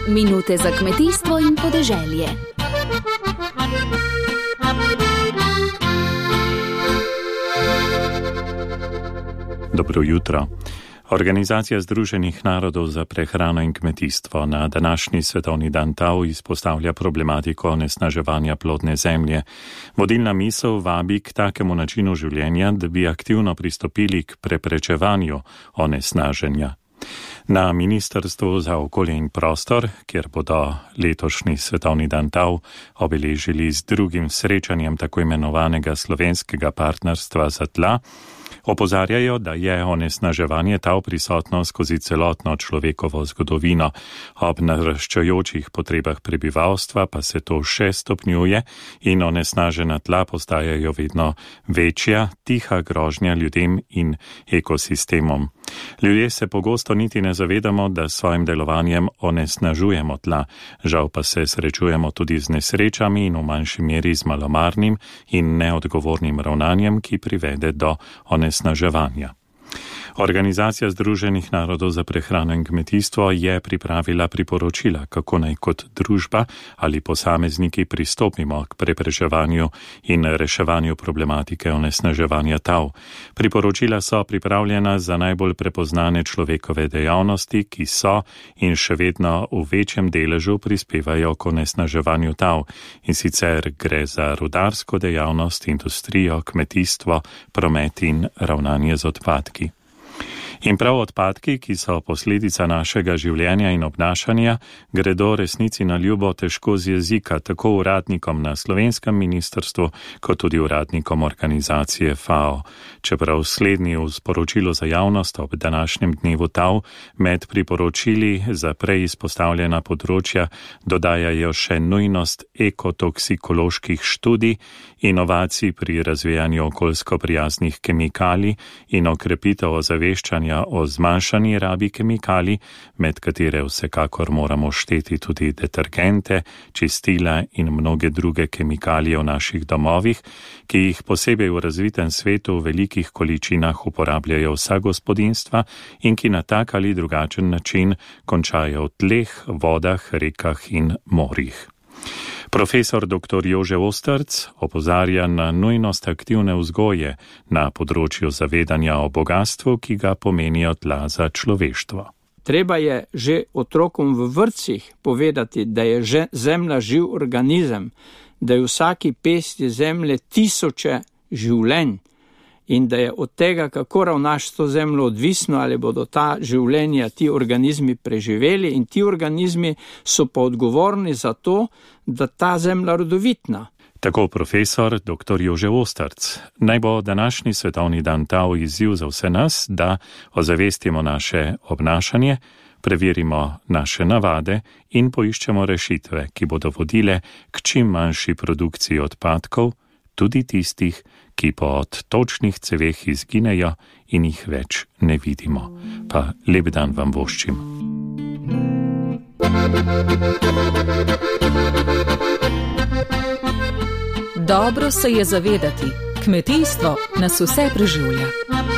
Minute za kmetijstvo in podeželje. Dobro jutro. Organizacija Združenih narodov za prehrano in kmetijstvo na današnji svetovni dan tav izpostavlja problematiko onesnaževanja plodne zemlje. Vodilna misel vabi k takemu načinu življenja, da bi aktivno pristopili k preprečevanju onesnaženja. Na Ministrstvu za okolje in prostor, kjer bodo letošnji svetovni dan tav obeležili z drugim srečanjem tako imenovanega slovenskega partnerstva za tla, opozarjajo, da je onesnaževanje tav prisotno skozi celotno človekovo zgodovino. Ob naraščajočih potrebah prebivalstva pa se to še stopnjuje in onesnažena tla postajajo vedno večja, tiha grožnja ljudem in ekosistemom. Ljudje se pogosto niti ne zavedamo, da s svojim delovanjem onesnažujemo tla. Žal pa se srečujemo tudi z nesrečami in v manjši meri z malomarnim in neodgovornim ravnanjem, ki privede do onesnaževanja. Organizacija Združenih narodov za prehrano in kmetijstvo je pripravila priporočila, kako naj kot družba ali posamezniki pristopimo k preprečevanju in reševanju problematike onesnaževanja tav. Priporočila so pripravljena za najbolj prepoznane človekove dejavnosti, ki so in še vedno v večjem deležu prispevajo k onesnaževanju tav. In sicer gre za rudarsko dejavnost, industrijo, kmetijstvo, promet in ravnanje z odpadki. In prav odpadki, ki so posledica našega življenja in obnašanja, gredo resnici na ljubo težko z jezika, tako uradnikom na slovenskem ministrstvu, kot tudi uradnikom organizacije FAO. Čeprav slednji v sporočilu za javnost ob današnjem dnevu tav med priporočili za prej izpostavljena področja dodajajo še nujnost ekotoksikoloških študij, inovacij pri razvijanju okoljsko prijaznih kemikalij in okrepitev ozaveščanja o zmanjšani rabi kemikalij, med katere vsekakor moramo šteti tudi detergente, čistila in mnoge druge kemikalije v naših domovih, ki jih posebej v razvitem svetu v velikih količinah uporabljajo vsa gospodinjstva in ki na tak ali drugačen način končajo v tleh, vodah, rekah in morjih. Profesor dr. Jože Ostrc opozarja na nujnost aktivne vzgoje na področju zavedanja o bogastvu, ki ga pomenijo tla za človeštvo. Treba je že otrokom v vrtcih povedati, da je zemlja živ organizem, da je v vsaki pesti zemlje tisoče življenj in da je od tega, kako ravnaš s to zemljo, odvisno, ali bodo ta življenja, ti organizmi preživeli, in ti organizmi so pa odgovorni za to, da ta zemlja rodovitna. Tako profesor dr. Jože Ostrc. Naj bo današnji svetovni dan tav izziv za vse nas, da ozavestimo naše obnašanje, preverimo naše navade in poiščemo rešitve, ki bodo vodile k čim manjši produkciji odpadkov, tudi tistih, ki po odtočnih ceveh izginejo in jih več ne vidimo. Pa lep dan vam voščim. Dobro se je zavedati, kmetijstvo nas vse preživlja.